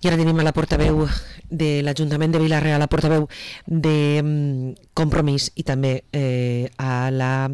I ara tenim a la portaveu de l'Ajuntament de Vila-real, a la portaveu de Compromís i també a la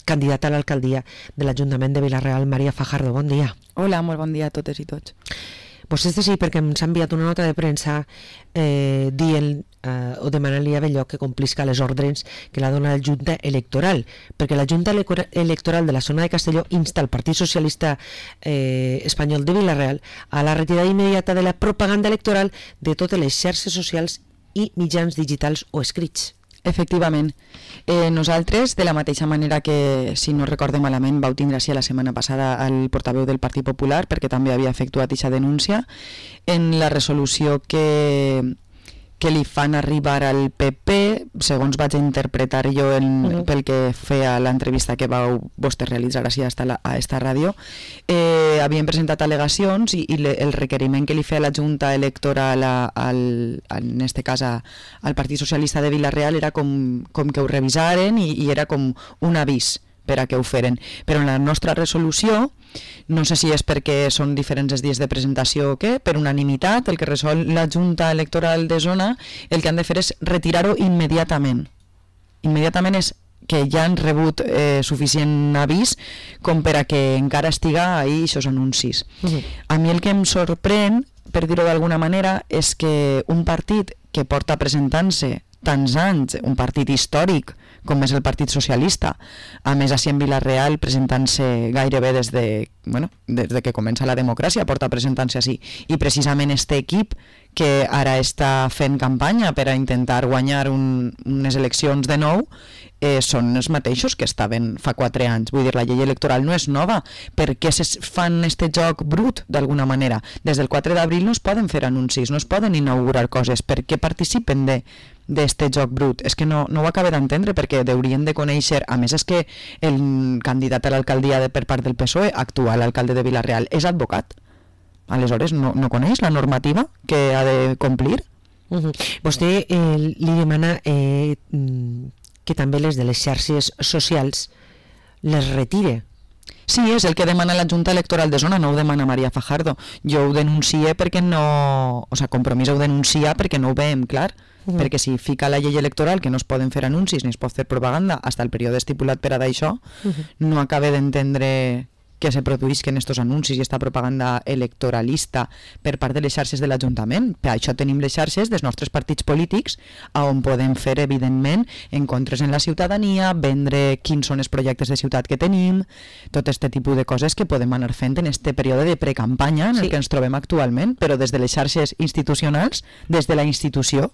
candidata a l'alcaldia de l'Ajuntament de Vila-real, Maria Fajardo. Bon dia. Hola, molt bon dia a totes i tots. Pues és sí, perquè ens ha enviat una nota de premsa dient o demanant-li a Belloc que complisca les ordres que la dona la Junta Electoral, perquè la Junta Electoral de la zona de Castelló insta al Partit Socialista Espanyol de Vila-real a la retirada immediata de la propaganda electoral de totes les xarxes socials i mitjans digitals o escrits. Efectivament. Nosaltres, de la mateixa manera que, si no recorde malament, vau tindre així la setmana passada el portaveu del Partit Popular, perquè també havia efectuat aquesta denúncia, en la resolució que li fan arribar al PP, segons vaig interpretar jo pel que feia l'entrevista que vau vostès realitzar així a esta ràdio, havien presentat al·legacions i el requeriment que li feia la Junta Electoral en este cas al Partit Socialista de Vila-real era com que ho revisaren i era com un avís per a que ho feren. Però en la nostra resolució, no sé si és perquè són diferents els dies de presentació o què, per unanimitat, el que resol la Junta Electoral de Zona, el que han de fer és retirar-ho immediatament. Immediatament és que ja han rebut suficient avís com per a que encara estiga ahí aquests anuncis. A mi el que em sorprèn, per dir-ho d'alguna manera, és que un partit que porta presentant-se tants anys, un partit històric com és el Partit Socialista, a més així en Vila-real presentant-se gairebé des que comença la democràcia, porta presentant-se així, i precisament este equip que ara està fent campanya per a intentar guanyar unes eleccions de nou, són els mateixos que estaven fa 4 anys. Vull dir, la llei electoral no és nova. Per què fan este joc brut, d'alguna manera? Des del 4 d'abril no es poden fer anuncis, no es poden inaugurar coses. Per què participen d'este joc brut? És que no ho acabo d'entendre, perquè haurien de conèixer, a més és que el candidat a l'alcaldia per part del PSOE, actual alcalde de Vila-real, és advocat. Aleshores no coneix la normativa que ha de complir? Vostè li demana que també les de les xarxes socials les retire. Sí, és el que demana la Junta Electoral de Zona, no ho demana Maria Fajardo. Jo ho denuncie perquè no... O sigui, Compromís ho denuncia perquè no ho veiem clar. Perquè si fica la llei electoral que no es poden fer anuncis ni es pot fer propaganda fins al període estipulat per a d'això, no acabe d'entendre que se produïsquen estos anuncis i esta propaganda electoralista per part de les xarxes de l'Ajuntament. Per això tenim les xarxes dels nostres partits polítics on podem fer, evidentment, encontres en la ciutadania, vendre quins són els projectes de ciutat que tenim, tot aquest tipus de coses que podem anar fent en este període de precampanya en el que ens trobem actualment, però des de les xarxes institucionals, des de la institució,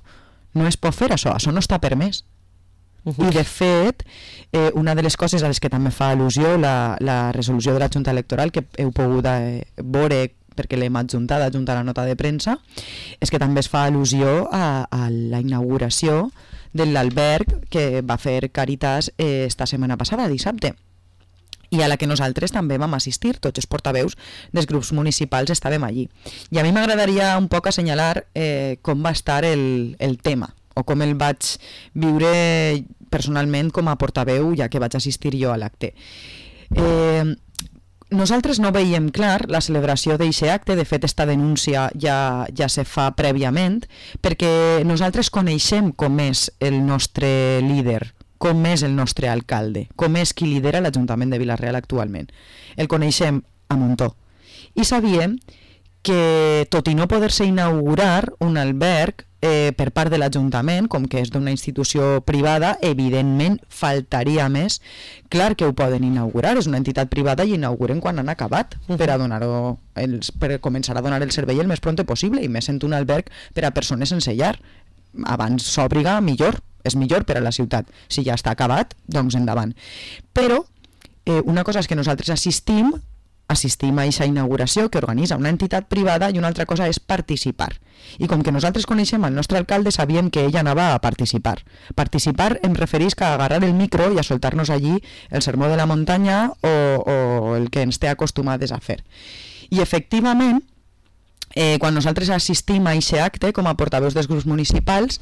no es pot fer això no està permès. I de fet, una de les coses a les que també fa al·lusió la resolució de la Junta Electoral, que heu pogut veure perquè l'hem adjuntat a la nota de premsa, és que també es fa al·lusió a la inauguració de l'alberg que va fer Càritas esta setmana passada, dissabte, i a la que nosaltres també vam assistir, tots els portaveus dels grups municipals estàvem allí. I a mi m'agradaria un poc assenyalar com va estar el tema, o com el vaig viure personalment com a portaveu, ja que vaig assistir jo a l'acte. Nosaltres no veiem clar la celebració d'aquest acte, de fet esta denúncia ja se fa prèviament, perquè nosaltres coneixem com és el nostre líder, com és el nostre alcalde, com és qui lidera l'Ajuntament de Vila-real actualment. El coneixem a muntó. I sabíem que, tot i no poder-se inaugurar un alberg per part de l'Ajuntament, com que és d'una institució privada, evidentment faltaria més. Clar que ho poden inaugurar, és una entitat privada i inauguren quan han acabat per començar a donar el servei el més pront possible, i més sent un alberg per a persones sense llar. Abans s'obriga, millor, és millor per a la ciutat. Si ja està acabat, doncs endavant. Però una cosa és que nosaltres assistim a aquesta inauguració que organitza una entitat privada, i una altra cosa és participar. I com que nosaltres coneixem el nostre alcalde, sabíem que ella anava a participar. Participar em referís a agarrar el micro i a soltar-nos allí el sermó de la muntanya o el que ens té acostumades a fer. I efectivament, quan nosaltres assistim a aquest acte com a portaveus dels grups municipals,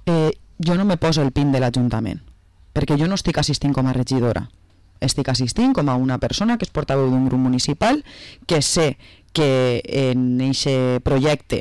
jo no me poso el pin de l'Ajuntament, perquè jo no estic assistint com a regidora. Estic assistint com a una persona que és portaveu d'un grup municipal, que sé que en aquest projecte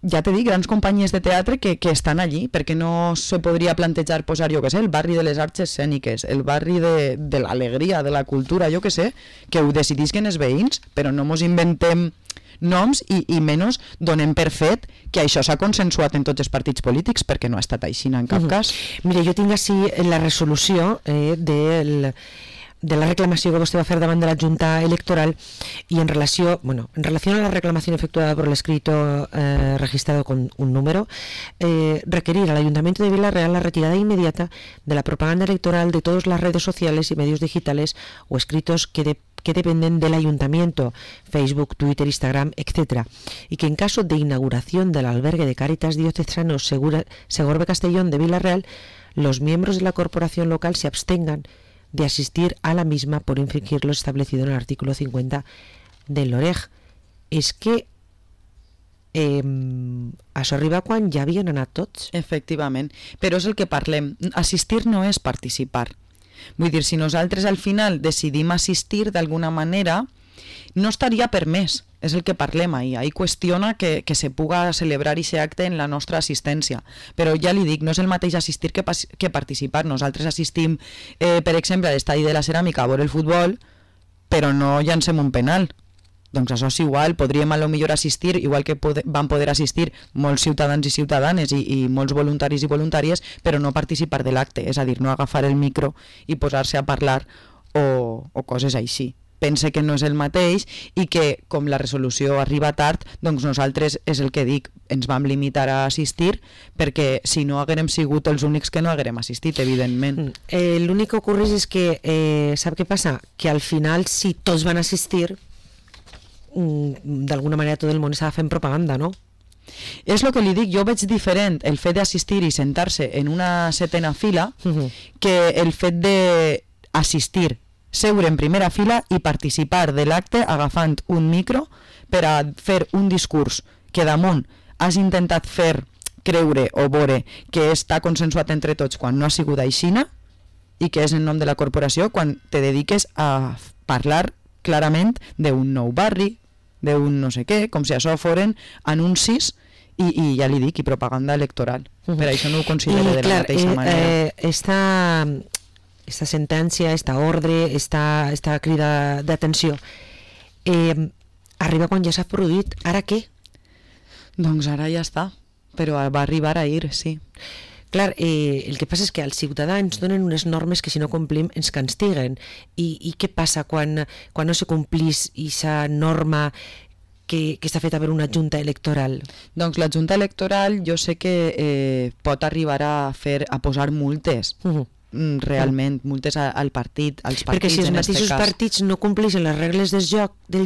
ja t'he dit, grans companyies de teatre que estan allí, perquè no se podria plantejar posar, jo què sé, el barri de les arts escèniques, el barri de l'alegria, de la cultura, jo què sé, que ho decidisquen els veïns, però no mos inventem noms i menys donem per fet que això s'ha consensuat en tots els partits polítics, perquè no ha estat així en cap cas. Mira, jo tinc així la resolució de la reclamació que vostè va fer davant de la Junta Electoral y en relación a la reclamación efectuada por el escrito registrado con un número, requerir al Ayuntamiento de Vila-real la retirada inmediata de la propaganda electoral de todas las redes sociales y medios digitales o escritos que dependen del Ayuntamiento, Facebook, Twitter, Instagram, etc. Y que en caso de inauguración del albergue de Cáritas Diocesano Segorbe Castellón de Vila-real, los miembros de la corporación local se abstengan de asistir a la misma por infringir lo establecido en el artículo 50 del LOREG. És que això arriba quan ja havien anat tots. Efectivament, però és el que parlem. Assistir no és participar. Vull dir, si nosaltres al final decidim assistir d'alguna manera, no estaria permès. És el que parlem ahir. Ahir qüestiona que se puga celebrar aquest acte en la nostra assistència. Però ja li dic, no és el mateix assistir que participar. Nosaltres assistim, per exemple, a l'estadi de la Ceràmica a veure el futbol, però no llancem un penal. Doncs això és igual, podríem a lo millor assistir, igual que van poder assistir molts ciutadans i ciutadanes i molts voluntaris i voluntàries, però no participar de l'acte, és a dir, no agafar el micro i posar-se a parlar o coses així. Pense que no és el mateix i que, com la resolució arriba tard, doncs nosaltres, és el que dic, ens vam limitar a assistir perquè si no haguérem sigut els únics que no haguérem assistit, evidentment. L'únic que ocorre és que, sap què passa? Que al final, si tots van assistir, d'alguna manera tot el món estava fent propaganda, no? És el que li dic, jo veig diferent el fet d'assistir i sentar-se en una setena fila que el fet d'assistir, seure en primera fila i participar de l'acte agafant un micro per a fer un discurs que damunt has intentat fer creure o veure que està consensuat entre tots quan no ha sigut aixina i que és en nom de la corporació quan te dediques a parlar clarament d'un nou barri, d'un no sé què, com si això foren anuncis i ja li dic, i propaganda electoral. Per això no ho considero de la mateixa manera. Esta sentència, esta ordre, esta crida d'atenció arriba quan ja s'ha produït. Ara què? Doncs ara ja està, però va arribar ahir, sí. Clar, el que passa és que als ciutadans donen unes normes que si no complim ens castiguen. I què passa quan no se complís aquesta norma que està feta per una junta electoral? Doncs la junta electoral jo sé que pot arribar a posar multes. Realment, multes al partit, als partits. Perquè si els mateixos partits no compleixen les regles del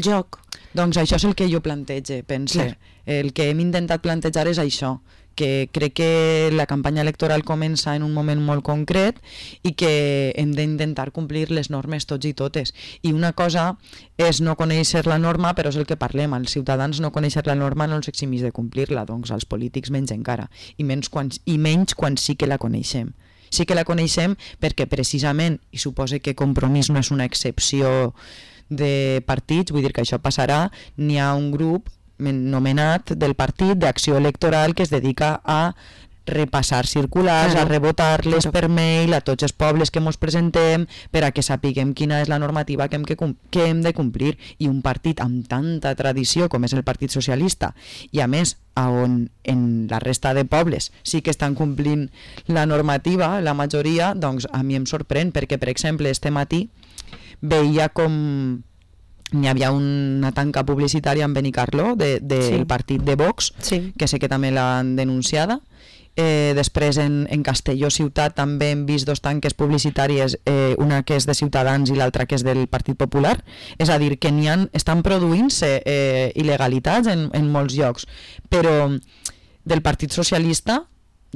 joc... Doncs això és el que jo plantege, pense. Clar. El que hem intentat plantejar és això, que crec que la campanya electoral comença en un moment molt concret i que hem d'intentar complir les normes tots i totes. I una cosa és no conèixer la norma, però és el que parlem, els ciutadans no conèixer la norma no els eximis de complir-la, doncs els polítics menys encara, i menys quan sí que la coneixem. Sí que la coneixem perquè precisament, i suposo que Compromís no és una excepció de partits, vull dir que això passarà, n'hi ha un grup nomenat del partit d'Acció Electoral que es dedica a repassar circulars, a rebotar-les per mail a tots els pobles que ens presentem per a que sapiguem quina és la normativa que hem de complir. I un partit amb tanta tradició com és el Partit Socialista i a més on en la resta de pobles sí que estan complint la normativa, la majoria, doncs a mi em sorprèn perquè, per exemple, este matí veia com n'hi havia una tanca publicitària en Benicarló del partit de Vox, que sé que també l'han denunciada. Després en Castelló ciutat també hem vist dos tanques publicitàries, una que és de Ciutadans i l'altra que és del Partit Popular, és a dir, que estan produint-se il·legalitats en molts llocs, però del Partit Socialista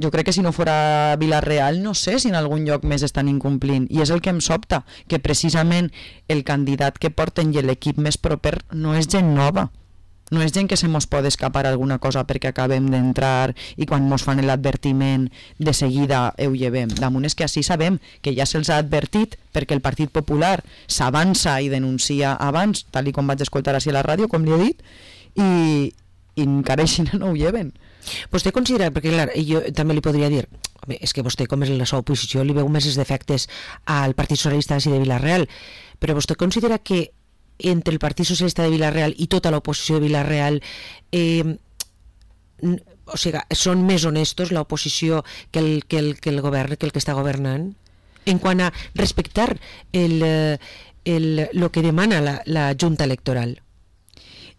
jo crec que si no fora Vila-real no sé si en algun lloc més estan incomplint, i és el que em sobta, que precisament el candidat que porten i l'equip més proper no és gent nova. No és gent que se mos pot escapar alguna cosa perquè acabem d'entrar i quan mos fan l'advertiment de seguida ho llevem. Damunt és que així sabem que ja se'ls ha advertit perquè el Partit Popular s'avança i denuncia abans, tal com vaig escoltar així a la ràdio, com li he dit, i encara així no ho lleven. Vostè considera, perquè clar, jo també li podria dir, home, és que vostè com és la seva oposició li veu més els defectes al Partit Socialista de Vila-real, però vostè considera que entre el Partit Socialista de Vila-real i tota l'oposició de Vila-real o sigui, són més honestos l'oposició que el govern, que el que està governant, en quant a respectar lo que demana la Junta Electoral?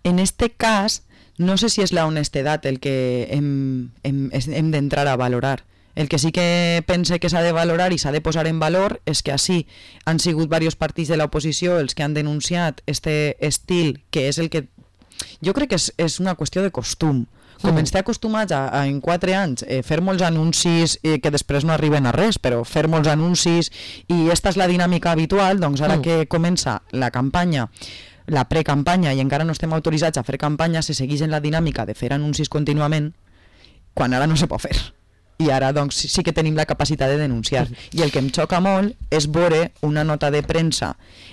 En este cas, no sé si és la honestedat el que hem d'entrar a valorar. El que sí que pense que s'ha de valorar i s'ha de posar en valor és que així han sigut diversos partits de l'oposició els que han denunciat este estil, que és el que... Jo crec que és una qüestió de costum. Com ens té acostumats a en 4 anys fer molts anuncis que després no arriben a res, però fer molts anuncis, i esta és la dinàmica habitual, doncs ara que comença la campanya, la precampanya, i encara no estem autoritzats a fer campanya, se segueix en la dinàmica de fer anuncis contínuament, quan ara no se pot fer. I ara doncs sí que tenim la capacitat de denunciar. I el que em xoca molt és veure una nota de premsa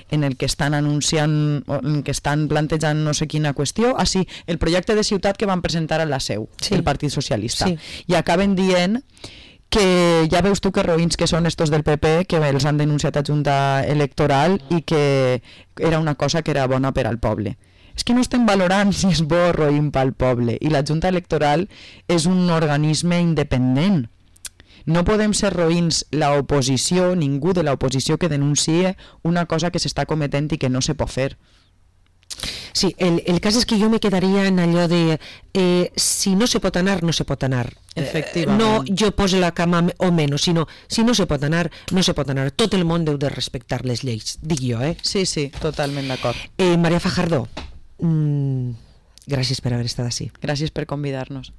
en el que estan anunciant, en què estan plantejant no sé quina qüestió, sí, el projecte de ciutat que van presentar a la seu, el Partit Socialista. I acaben dient que ja veus tu que roïns que són estos del PP, que els han denunciat a Junta Electoral i que era una cosa que era bona per al poble. És que no estem valorant si és bo o roïn pel poble, i la Junta Electoral és un organisme independent. No podem ser roïns l'oposició, ningú de l'oposició que denuncie una cosa que s'està cometent i que no se pot fer. Sí, el cas és que jo me quedaria en allò de si no se pot anar, no se pot anar. Efectivament. No jo poso la cama o menys, sinó si no se pot anar, no se pot anar. Tot el món deu de respectar les lleis, dic jo, Sí, totalment d'acord. Maria Fajardo, gràcies per haver estat així. Gràcies per convidar-nos.